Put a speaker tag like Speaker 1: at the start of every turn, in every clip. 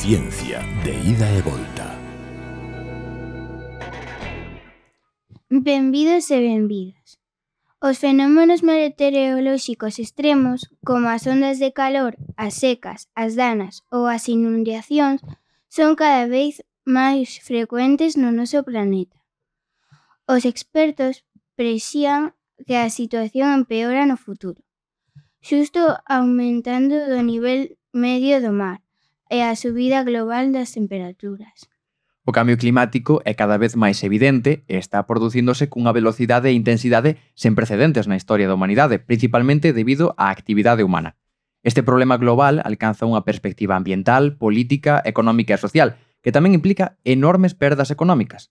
Speaker 1: Ciencia de ida e volta.
Speaker 2: Benvidos e benvidas. Os fenómenos meteorolóxicos extremos, como as ondas de calor, as secas, as danas ou as inundacións, son cada vez máis frecuentes no noso planeta. Os expertos prexían que a situación empeora no futuro, xusto aumentando do nivel medio do mar e a subida global das temperaturas.
Speaker 3: O cambio climático é cada vez máis evidente e está producíndose cunha velocidade e intensidade sen precedentes na historia da humanidade, principalmente debido á actividade humana. Este problema global alcanza unha perspectiva ambiental, política, económica e social, que tamén implica enormes perdas económicas.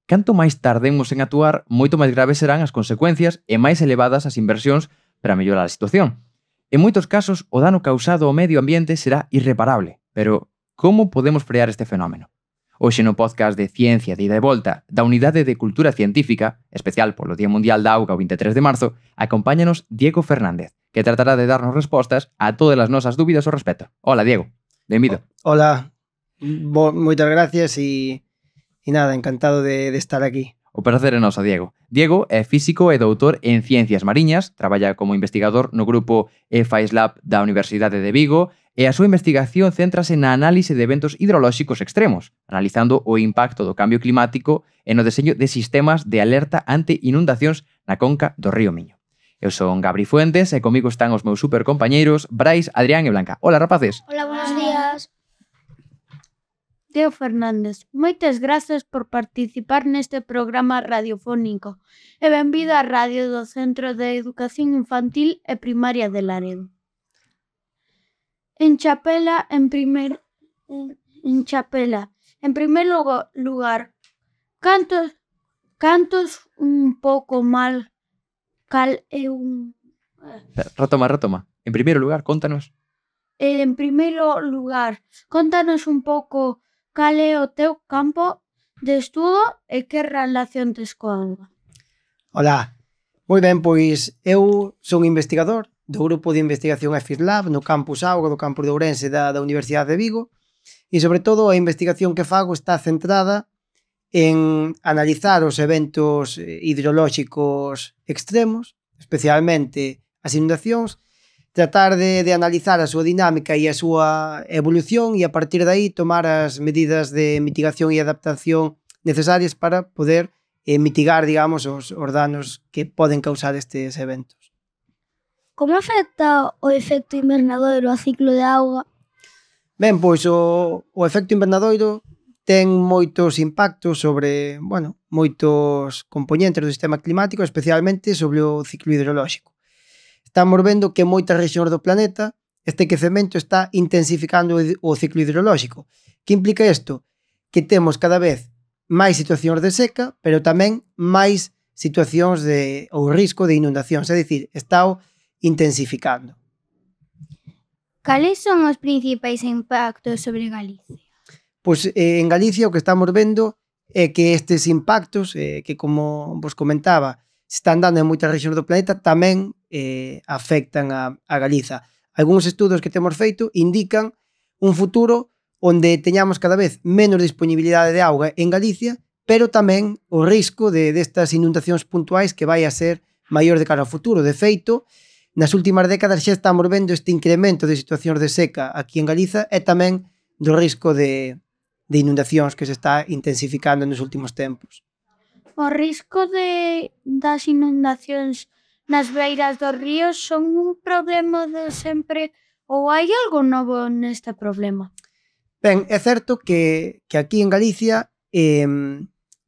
Speaker 3: Canto máis tardemos en actuar, moito máis graves serán as consecuencias e máis elevadas as inversións para mellorar a situación. En moitos casos, o dano causado ao medio ambiente será irreparable, pero como podemos frear este fenómeno? Hoxe no podcast de Ciencia de ida e volta da Unidade de Cultura Científica, especial polo Día Mundial da Auga o 23 de marzo, acompáñanos Diego Fernández, que tratará de darnos respostas a todas as nosas dúbidas ao respecto. Hola, Diego. Benvido.
Speaker 4: Hola. Moitas gracias e nada, encantado de estar aquí.
Speaker 3: O prazer é noso, Diego. Diego é físico e doutor en Ciencias Mariñas, traballa como investigador no grupo EFAIS Lab da Universidade de Vigo e a súa investigación céntrase na análise de eventos hidrolóxicos extremos, analizando o impacto do cambio climático e no deseño de sistemas de alerta ante inundacións na conca do río Miño. Eu son Gabri Fuentes e comigo están os meus supercompañeiros Brais, Adrián e Blanca. Hola, rapaces.
Speaker 2: Hola, buenos días.
Speaker 5: Diego Fernández, moitas grazas por participar neste programa radiofónico e benvido á radio do Centro de Educación Infantil e Primaria de Laredo. En primer lugar, cantos un pouco mal cal é un...
Speaker 3: Retoma. En primeiro lugar, contanos.
Speaker 5: En primeiro lugar, contanos un pouco cal é o teu campo de estudo e que relación tes coa auga.
Speaker 4: Hola. Moi ben, pois eu son investigador do grupo de investigación EFAIS Lab no campus Auga do campus de Ourense da Universidade de Vigo e, sobre todo, a investigación que fago está centrada en analizar os eventos hidrolóxicos extremos, especialmente as inundacións, tratar de analizar a súa dinámica e a súa evolución e a partir de aí tomar as medidas de mitigación e adaptación necesarias para poder mitigar, digamos, os danos que poden causar estes eventos.
Speaker 2: Como afecta o efecto invernadoiro ao ciclo de auga?
Speaker 4: Ben, pois o efecto invernadoiro ten moitos impactos sobre, moitos componentes do sistema climático, especialmente sobre o ciclo hidrolóxico. Estamos vendo que en moitas rexións do planeta este quecemento está intensificando o ciclo hidrolóxico. Que implica isto? Que temos cada vez máis situacións de seca, pero tamén máis situacións ou risco de inundacións, é dicir, está intensificando.
Speaker 2: Cales son os principais impactos sobre Galicia?
Speaker 4: Pois en Galicia o que estamos vendo é que estes impactos, que como vos comentaba, se están dando en moitas rexións do planeta, tamén afectan a Galiza. Algúns estudos que temos feito indican un futuro onde teñamos cada vez menos disponibilidade de auga en Galicia, pero tamén o risco destas inundacións puntuais que vai a ser maior de cara ao futuro. De feito, nas últimas décadas xa estamos vendo este incremento de situacións de seca aquí en Galiza e tamén do risco de inundacións que se está intensificando nos últimos tempos.
Speaker 5: O risco das inundacións nas beiras dos ríos son un problema de sempre ou hai algo novo neste problema?
Speaker 4: Ben, é certo que aquí en Galicia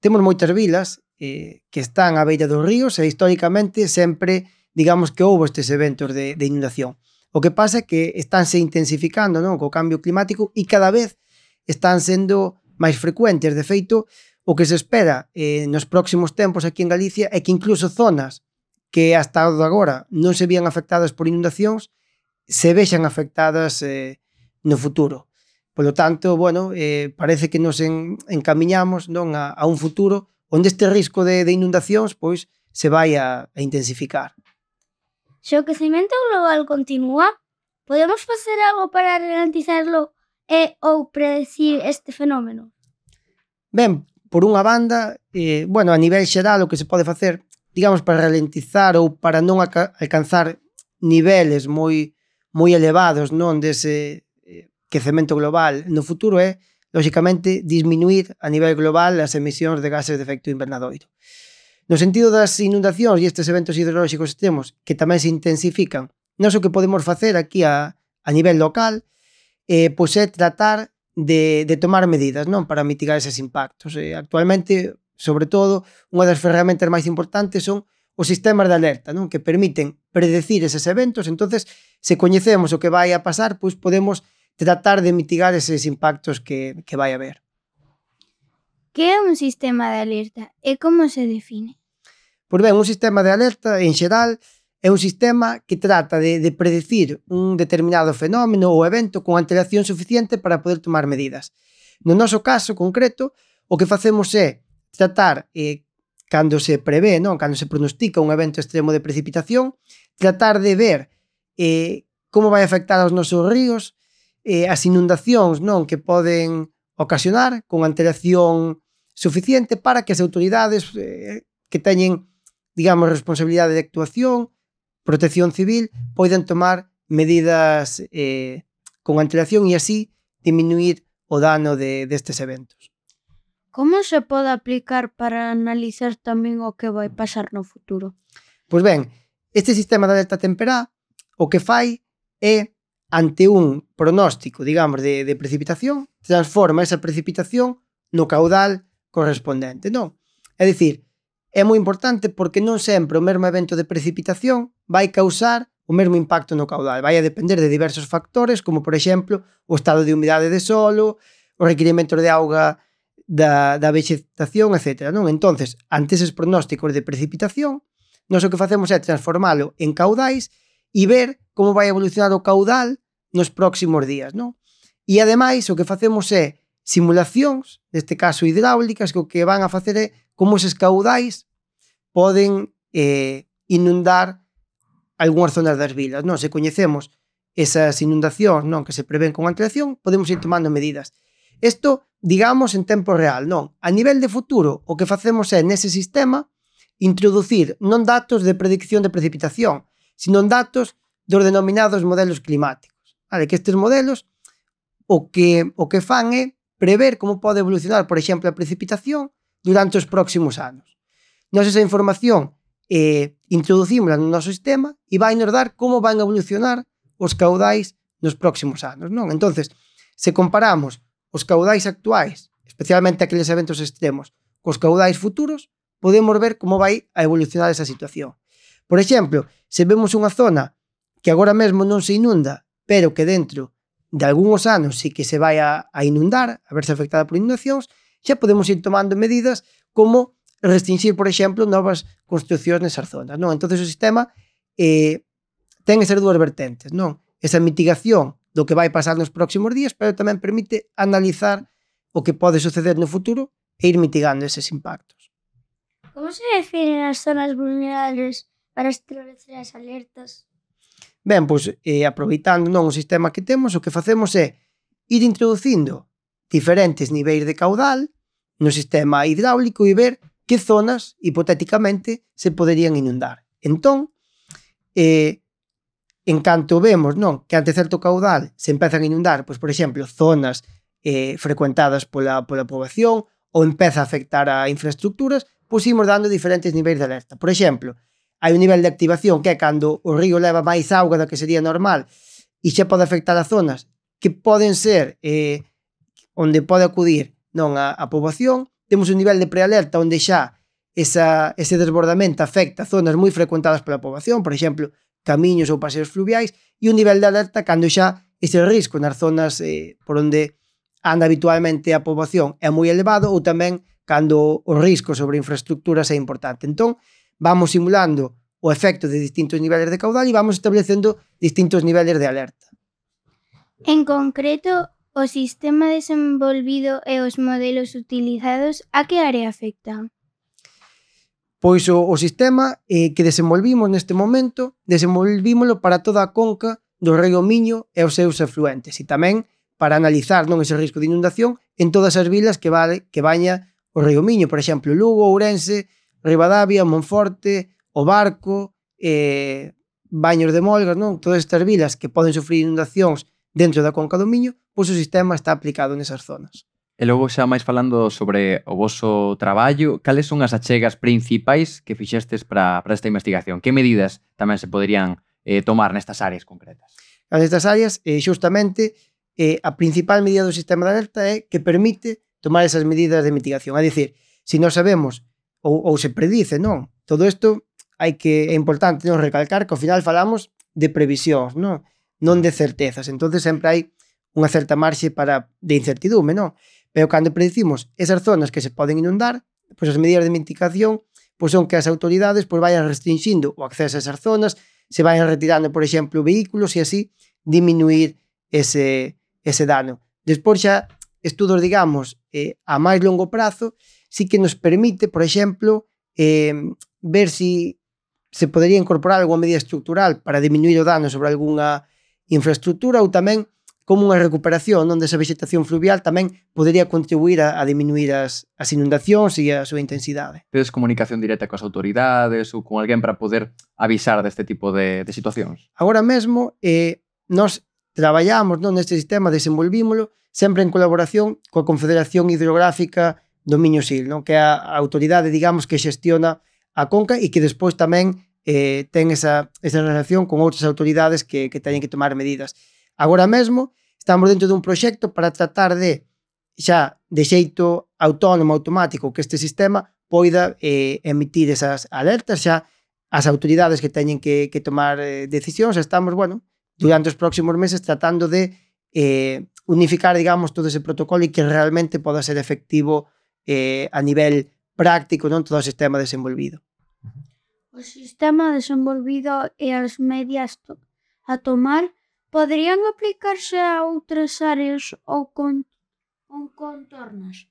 Speaker 4: temos moitas vilas que están á beira dos ríos e históricamente sempre, digamos que houve estes eventos de inundación. O que pasa é que estánse intensificando, non, co cambio climático e cada vez están sendo máis frecuentes. De feito, o que se espera nos próximos tempos aquí en Galicia é que incluso zonas que hasta agora non se vían afectadas por inundacións se vexan afectadas no futuro. Polo tanto, parece que nos encamiñamos, non, a un futuro onde este risco de inundacións pois se vai a intensificar.
Speaker 2: Se o quecemento global continúa, podemos facer algo para ralentizarlo
Speaker 5: ou predecir este fenómeno?
Speaker 4: Ben, por unha banda, a nivel xeral o que se pode facer, digamos, para ralentizar ou para non alcanzar niveles moi elevados, non, dese quecemento global no futuro é, lóxicamente, disminuir a nivel global as emisións de gases de efecto invernadoiro. No sentido das inundacións e estes eventos hidrolóxicos extremos que tamén se intensifican, nós o que podemos facer aquí a nivel local pois é tratar de tomar medidas, non, para mitigar eses impactos. Actualmente, sobre todo, unha das ferramentas máis importantes son os sistemas de alerta, non, que permiten predecir eses eventos. Entonces, se coñecemos o que vai a pasar, pois podemos tratar de mitigar eses impactos que vai haber.
Speaker 2: Que é un sistema de alerta e como se define?
Speaker 4: Pois ben, un sistema de alerta, en xeral, é un sistema que trata de predecir un determinado fenómeno ou evento con antelación suficiente para poder tomar medidas. No noso caso concreto, o que facemos é tratar, cando se prevé, non, cando se pronostica un evento extremo de precipitación, tratar de ver como vai afectar aos nosos ríos, as inundacións, non, que poden ocasionar con antelación suficiente para que as autoridades que teñen, digamos, responsabilidade de actuación, protección civil, poden tomar medidas con antelación e así diminuir o dano destes eventos.
Speaker 5: Como se pode aplicar para analizar tamén o que vai pasar no futuro?
Speaker 4: Pois ben, este sistema de alerta temperá o que fai é, ante un pronóstico, digamos, de precipitación, transforma esa precipitación no caudal correspondente, non? É dicir, é moi importante porque non sempre o mesmo evento de precipitación vai causar o mesmo impacto no caudal. Vai a depender de diversos factores, como, por exemplo, o estado de humidade de solo, os requirimentos de auga da vegetación, etc. Non? Entonces, ante eses pronósticos de precipitación, nós o que facemos é transformalo en caudais e ver como vai evolucionar o caudal nos próximos días, non? E ademais o que facemos é simulacións, neste caso hidráulicas, que o que van a facer é como eses caudais poden inundar algunhas zonas das vilas, non? Se coñecemos esas inundacións, non, que se prevén con antelación, podemos ir tomando medidas. Isto, digamos, en tempo real, non? A nivel de futuro, o que facemos é, nese sistema, introducir non datos de predicción de precipitación, sino datos dos denominados modelos climáticos. Vale? Que estes modelos o que fan é prever como pode evolucionar, por exemplo, a precipitación durante os próximos anos. Nós esa información introducimos no noso sistema e vai nos dar como van a evolucionar os caudais nos próximos anos, non? Entonces, se comparamos os caudais actuais, especialmente aqueles eventos extremos, cos caudais futuros, podemos ver como vai a evolucionar esa situación. Por exemplo, se vemos unha zona que agora mesmo non se inunda, pero que dentro de algúns anos sí que se vai a inundar, a verse afectada por inundacións, xa podemos ir tomando medidas como restringir, por exemplo, novas construccións nesas zonas, non? Entonces o sistema ten esas dúas vertentes, non? Esa mitigación do que vai pasar nos próximos días, pero tamén permite analizar o que pode suceder no futuro e ir mitigando eses impactos.
Speaker 6: Como se definen as zonas vulnerables para establecer as alertas?
Speaker 4: Ben, pois, aproveitando non o sistema que temos, o que facemos é ir introducindo diferentes niveis de caudal no sistema hidráulico e ver que zonas, hipotéticamente, se poderían inundar. Entón, en canto vemos, non, que ante certo caudal se empezan a inundar, pois, por exemplo, zonas frecuentadas pola poboación ou empeza a afectar a infraestructuras, pois imos dando diferentes niveis de alerta. Por exemplo, hai un nivel de activación que é cando o río leva máis auga da que sería normal e xa pode afectar a zonas que poden ser onde pode acudir non a poboación. Temos un nivel de prealerta onde xa ese desbordamento afecta zonas moi frecuentadas pola poboación, por exemplo, camiños ou paseos fluviais, e un nivel de alerta cando xa ese risco nas zonas por onde anda habitualmente a poboación é moi elevado ou tamén cando o risco sobre infraestructuras é importante. Entón, vamos simulando o efecto de distintos niveles de caudal e vamos establecendo distintos niveles de alerta.
Speaker 2: En concreto, o sistema desenvolvido e os modelos utilizados a que área afectan?
Speaker 4: Pois o sistema que desenvolvimos neste momento, desenvolvímolo para toda a conca do río Miño e os seus afluentes e tamén para analizar non ese risco de inundación en todas as vilas que baña o río Miño, por exemplo, Lugo, Ourense, Ribadavia, Monforte, O Barco, Baños de Molgas, non? Todas estas vilas que poden sufrir inundacións dentro da conca do Miño, pois o sistema está aplicado nesas zonas.
Speaker 3: E logo xa máis falando sobre o voso traballo, cales son as achegas principais que fixestes para esta investigación? Que medidas tamén se poderían tomar nestas áreas concretas?
Speaker 4: Nestas áreas, xustamente, a principal medida do sistema de alerta é que permite tomar esas medidas de mitigación. É dicir, se nós sabemos ou se predice, non? Todo isto é importante non recalcar que ao final falamos de previsións, non de certezas. Entonces sempre hai unha certa marxe de incertidume, non? Pero cando predicimos esas zonas que se poden inundar, pois as medidas de mitigación pois son que as autoridades pois vayan restringindo o acceso a esas zonas, se vayan retirando, por exemplo, vehículos e así diminuir ese dano. Despois xa estudos, digamos, a máis longo prazo, sí que nos permite, por exemplo, ver si se podería incorporar alguma medida estructural para diminuir o dano sobre algunha infraestructura ou tamén como unha recuperación non desa vegetación fluvial tamén podería contribuir a diminuir as inundacións e a súa intensidade.
Speaker 3: Tedes comunicación directa coas autoridades ou con alguén para poder avisar deste tipo de situacións?
Speaker 4: Agora mesmo, nós traballamos neste sistema, desenvolvímolo sempre en colaboración coa Confederación Hidrográfica do Miño-Sil, non? Que é a autoridade, digamos, que xestiona a conca e que despois tamén ten esa relación con outras autoridades que teñen que tomar medidas. Agora mesmo estamos dentro dun proxecto para tratar de xa de xeito autónomo, automático, que este sistema poida emitir esas alertas xa as autoridades que teñen que tomar decisións. Estamos, durante os próximos meses tratando de unificar, digamos, todo ese protocolo e que realmente poda ser efectivo a nivel práctico, non todo o sistema desenvolvido.
Speaker 5: O sistema desenvolvido e as medidas a tomar poderían aplicarse a outras áreas ou contornos?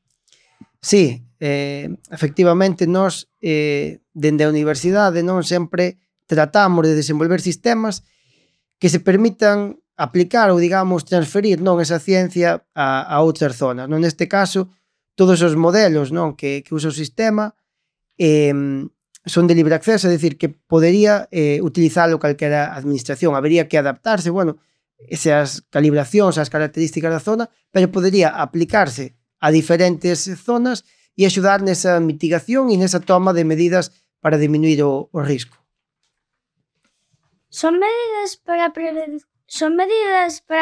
Speaker 4: Sí, efectivamente, nós dende a universidade non sempre tratamos de desenvolver sistemas que se permitan aplicar ou, digamos, transferir non esa ciencia a outras zonas. Non? Neste caso, todos os modelos non que usa o sistema son de libre acceso, é dicir, que podería utilizalo calquera administración. Habería que adaptarse, esas calibracións, as características da zona, pero podería aplicarse a diferentes zonas e axudar nesa mitigación e nesa toma de medidas para diminuir o risco.
Speaker 6: Son medidas para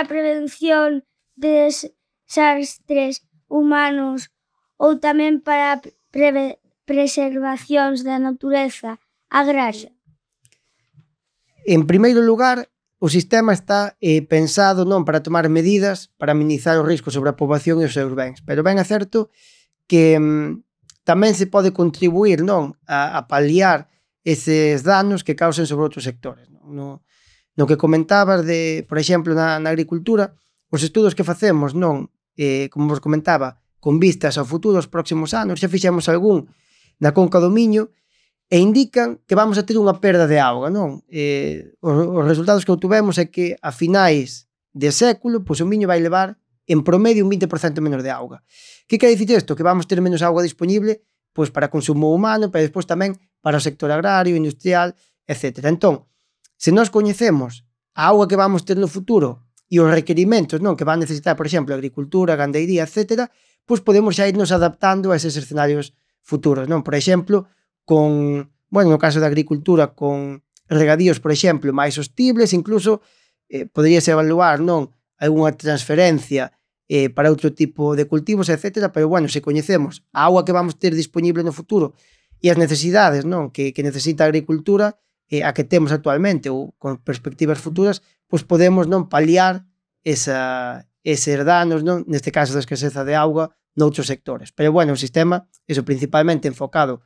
Speaker 6: prevención de desastres humanos ou tamén para preservacións da natureza agraria?
Speaker 4: En primeiro lugar, o sistema está pensado non para tomar medidas para minimizar o risco sobre a poboación e os seus bens, pero ben é certo que tamén se pode contribuir non a paliar eses danos que causen sobre outros sectores. No que comentabas por exemplo, na agricultura, os estudos que facemos como vos comentaba, con vistas ao futuro, aos próximos anos, xa fixemos algún na conca do Miño, e indican que vamos a ter unha perda de auga, non? Os resultados que obtuvemos é que a finais de século, pois o Miño vai levar en promedio un 20% menos de auga. Que quer dicir isto? Que vamos ter menos auga disponible pois para consumo humano, pero despois tamén para o sector agrario, industrial, etc. Entón, se nós coñecemos a auga que vamos ter no futuro e os requerimentos que van necesitar, por exemplo, a agricultura, a gandeiría, etc., pois podemos xa irnos adaptando a eses escenarios futuros, non? Por exemplo, no caso da agricultura, con regadíos, por exemplo, máis sostibles, incluso poderíase evaluar algunha transferencia para outro tipo de cultivos, etc. Pero, se coñecemos a auga que vamos ter disponible no futuro e as necesidades que necesita a agricultura, a que temos actualmente ou con perspectivas futuras, pois podemos paliar eses danos, neste caso da escaseza de auga, noutros sectores. Pero, o sistema, principalmente enfocado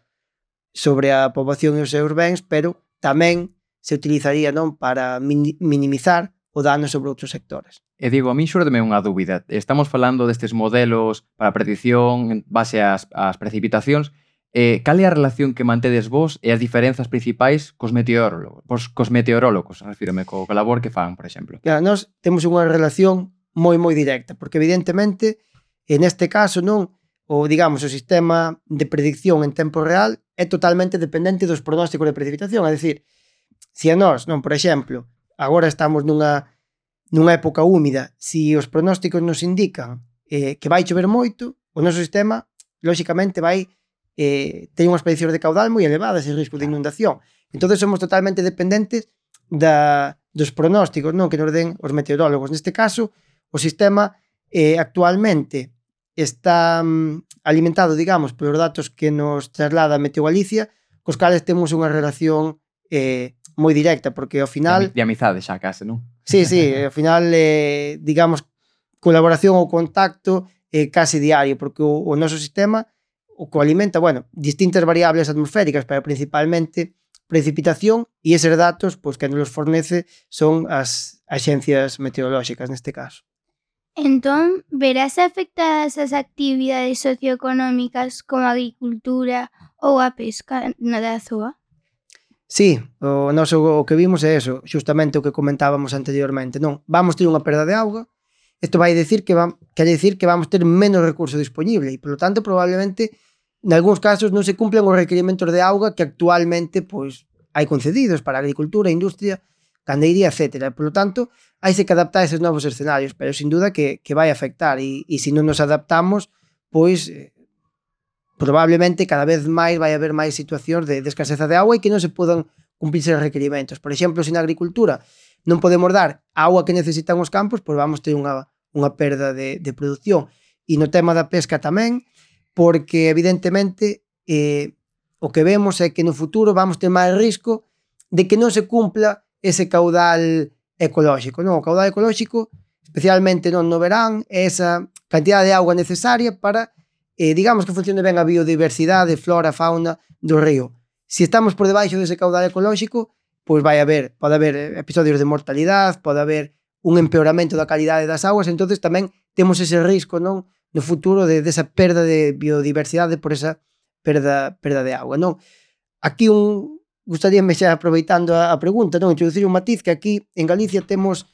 Speaker 4: sobre a poboación e os seus bens, pero tamén se utilizaría para minimizar o dano sobre outros sectores.
Speaker 3: E Diego, a mí xúrdeme unha dúbida. Estamos falando destes modelos para predicción en base ás precipitacións. Cal é a relación que mantedes vos e as diferenzas principais cos meteorólogos? Refírome co labor que fan, por exemplo.
Speaker 4: Nós temos unha relación moi directa, porque evidentemente, neste caso, non, o digamos, o sistema de predicción en tempo real é totalmente dependente dos pronósticos de precipitación, é dicir, se a nós, non, por exemplo, agora estamos nunha época húmida, se os pronósticos nos indican que vai chover moito, o noso sistema, lóxicamente, vai ter unhas prediccións de caudal moi elevadas e risco de inundación. Entón, somos totalmente dependentes dos pronósticos, non, que nos den os meteorólogos. Neste caso, o sistema actualmente está alimentado, digamos, polos datos que nos traslada Meteo Galicia, cos cales temos unha relación moi directa, porque ao final...
Speaker 3: De amizade xa case, non?
Speaker 4: Sí, ao final, digamos, colaboración ou contacto case diario, porque o noso sistema o que alimenta, bueno, distintas variables atmosféricas, pero principalmente precipitación, e eses datos, pois, que nos fornece son as axencias meteorolóxicas neste caso.
Speaker 2: Entón, verás afectadas as actividades socioeconómicas como a agricultura ou a pesca da zoa?
Speaker 4: Sí, o que vimos é eso, xustamente o que comentábamos anteriormente, non? Vamos ter unha perda de auga, isto vai decir que quere decir que vamos ter menos recurso disponible e, polo tanto, probablemente, nalgúns casos non se cumplen os requerimentos de auga que actualmente, pois, hai concedidos para a agricultura, a industria, gandeiría, etc. Por lo tanto, haise que adaptar a eses novos escenarios, pero sin duda que vai afectar e se non nos adaptamos, pois probablemente cada vez máis vai haber máis situacións de escaseza de agua e que non se podan cumprirse os requerimentos. Por exemplo, se na agricultura non podemos dar a agua que necesitan os campos, pois vamos ter unha perda de produción. E no tema da pesca tamén, porque evidentemente o que vemos é que no futuro vamos ter máis risco de que non se cumpla ese caudal ecolóxico, non? O caudal ecolóxico, especialmente non no verán, é esa cantidad de auga necesaria para, digamos, que funcione ben a biodiversidade, flora, fauna do río. Se estamos por debaixo dese caudal ecolóxico, pois pode haber episodios de mortalidade, pode haber un empeoramento da calidade das augas, entonces tamén temos ese risco, non, no futuro desa perda de biodiversidade por esa perda de auga, non? Aquí gustaríame xa aproveitando a pregunta, non, introducir un matiz que aquí en Galicia temos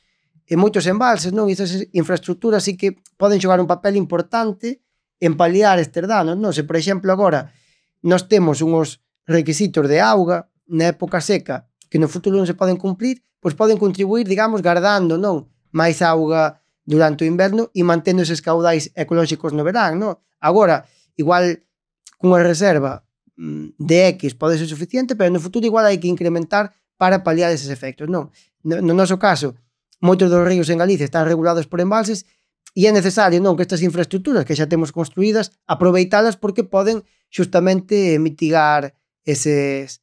Speaker 4: moitos embalses, non? E esas infraestructuras sí que poden xogar un papel importante en paliar estes danos, non? Se, por exemplo, agora nós temos uns requisitos de auga na época seca que no futuro non se poden cumprir, pois poden contribuir, digamos, guardando, non, máis auga durante o inverno e mantendo eses caudais ecolóxicos no verán, non? Agora, igual cunha reserva de X pode ser suficiente, pero no futuro igual hai que incrementar para paliar eses efectos, non? No noso caso, moitos dos ríos en Galicia están regulados por embalses e é necesario, non, que estas infraestructuras que xa temos construídas aproveitalas porque poden xustamente mitigar eses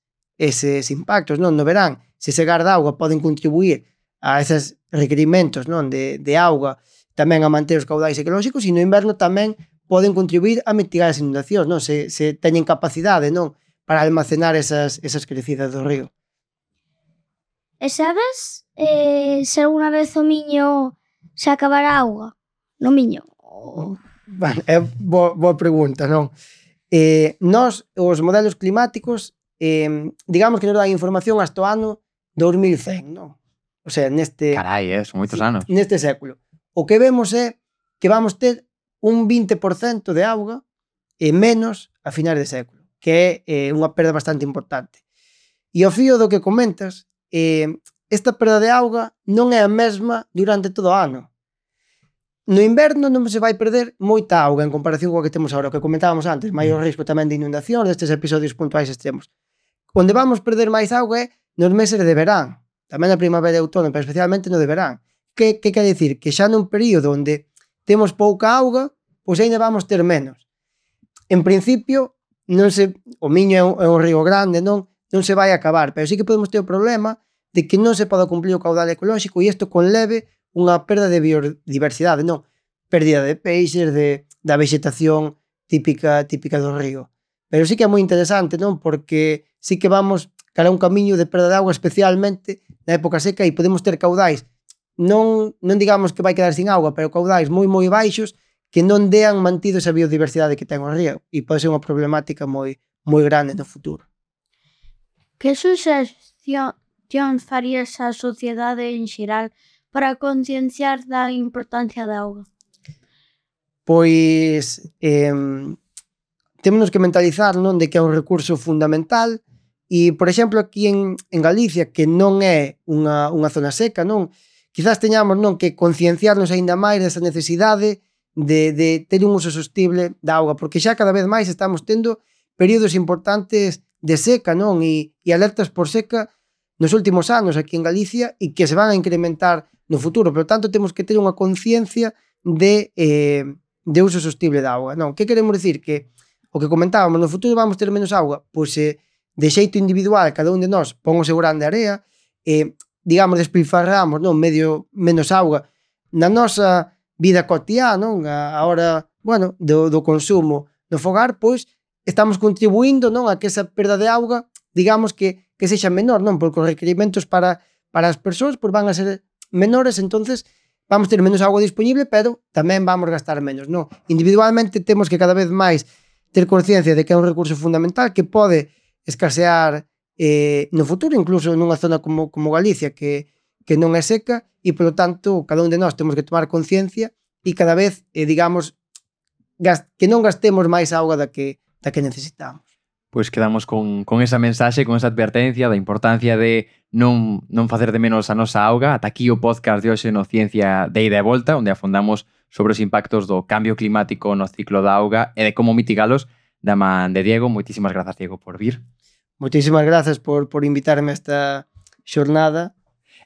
Speaker 4: impactos, non? No verán, se se garda auga poden contribuir a eses requerimentos, non, de auga, tamén a manter os caudais ecolóxicos, e no inverno tamén poden contribuir a mitigar as inundacións, non? Se teñen capacidade, non, para almacenar esas crecidas do río.
Speaker 6: E sabes se alguna vez o Miño se acabará auga? No Miño?
Speaker 4: Bueno, é boa pregunta, non? Nós, os modelos climáticos, digamos que nos dan información hasta o ano 2100, non? O sea, neste...
Speaker 3: Carai, son moitos anos.
Speaker 4: Neste século. O que vemos é que vamos ter un 20% de auga menos a finais de século, que é unha perda bastante importante. E ao fío do que comentas, esta perda de auga non é a mesma durante todo o ano. No inverno non se vai perder moita auga en comparación coa que temos agora, o que comentábamos antes, maior risco tamén de inundación destes episodios puntuais extremos. Onde vamos perder máis auga é nos meses de verán, tamén na primavera e outono, pero especialmente no de verán. Que quer dicir? Que xa nun período onde temos pouca auga, pois ainda vamos ter menos. En principio, o Miño é un río grande, non se vai acabar, pero sí que podemos ter o problema de que non se pode cumplir o caudal ecolóxico e isto conleve unha perda de biodiversidade, non? Pérdida de peixes, da vegetación típica do río. Pero sí que é moi interesante, non? Porque sí que vamos cara a un camiño de perda de auga, especialmente na época seca, e podemos ter caudais non digamos que vai quedar sin auga, pero caudais moi baixos que non dean mantido esa biodiversidade que ten o río e pode ser unha problemática moi grande no futuro.
Speaker 5: Que suxestións farías á sociedade en xeral para concienciar da importancia da auga?
Speaker 4: Pois temos que mentalizar, non, de que é un recurso fundamental e, por exemplo, aquí en Galicia, que non é unha zona seca, non, quizás teñamos, non, que concienciarnos aínda máis desa necesidade de ter un uso sostible da auga, porque xa cada vez máis estamos tendo períodos importantes de seca, non, e alertas por seca nos últimos anos aquí en Galicia e que se van a incrementar no futuro. Por tanto, temos que ter unha conciencia de uso sostible da auga. Non, que queremos dicir? Que o que comentábamos, no futuro vamos ter menos auga, pois de xeito individual cada un de nós pon o seu grán de area, digamos, despilfarramos, non, menos auga na nosa vida cotiá, non, a hora, bueno, do consumo no fogar, pois estamos contribuindo, non, a que esa perda de auga, digamos, que sexa menor, non, porque os requerimentos para as persoas pois van a ser menores, entonces vamos ter menos auga disponible, pero tamén vamos gastar menos, non? Individualmente temos que cada vez máis ter consciencia de que é un recurso fundamental que pode escasear no futuro, incluso nunha zona como Galicia, que non é seca, e, polo tanto, cada un de nós temos que tomar conciencia e cada vez, digamos, que non gastemos máis auga da que necesitamos.
Speaker 3: Pois quedamos con esa mensaxe, con esa advertencia da importancia de non facer de menos a nosa auga. Ata aquí o podcast de hoxe no Ciencia de Ida e Volta, onde afondamos sobre os impactos do cambio climático no ciclo da auga e de como mitigalos da man de Diego. Moitísimas grazas, Diego, por vir.
Speaker 4: Moitísimas grazas por invitarme a esta xornada.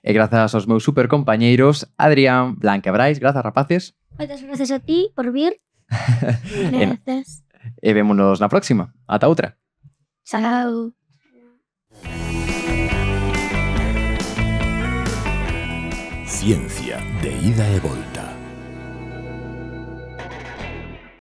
Speaker 3: E grazas aos meus supercompañeiros Adrián, Blanca e Brais. Grazas, rapaces.
Speaker 6: Moitas grazas a ti por vir.
Speaker 5: Gracias.
Speaker 3: E vémonos na próxima. Ata outra.
Speaker 6: Chao.
Speaker 1: Ciencia de Ida e Volta.